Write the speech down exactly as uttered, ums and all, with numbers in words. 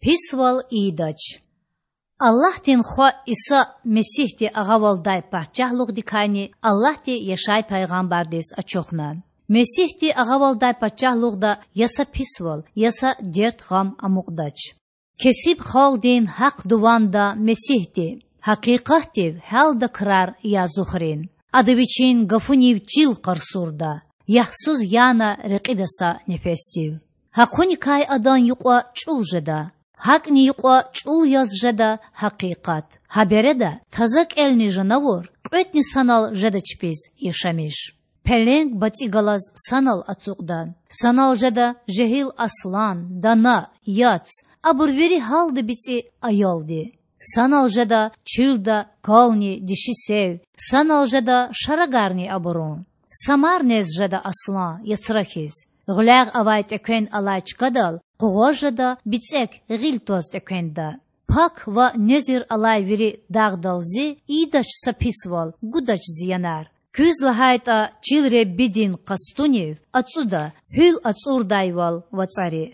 Писвал ийидач. Аллагьдин Хва Иса Месигьди агъавалдай пачагьлугъдикайни Аллагьди Яшай пайгъамбардиз ачухна. Месигьди агъавалдай пачагьлугъда я са писвал, я са дерт-гъам амукьдач. Кесиб халкьдин гьахъ-дуванда Месигьди, гьакъикъатдив гьялда крар язухрин. Ада Вичин гафунив чил къарсурда, ягьсуз яна рекьида са нефесдив. Гьахъуникай Адан юкьва чІул жеда, гьакІни юкьва чІул яз жеда гьакъикъат. Гьа береда таза кІелни жанавур кьветІни санал жеда чпиз яшамиш. Пеленг бацІи галаз санал ацукьда. Санал жеда жегьил аслан, дана, яц, абур вири гьалда бицІи аялди. Санал жеда чуьлда кални диши сев, санал жеда шарагарни абурун. Самар нез жеда аслан, яцра хьиз. Гъуьлягъ авай тІеквен алай чкадал къугъваз жеда бицІек гъил тваз тІеквенда. Пак ва незир алай вири дагъдал Зи ийидач са писвал, гудач зиянар. Куьз лагьайтІа чил Худадин къастунив ацІуда гьуьл ацІурдайвал вацІари.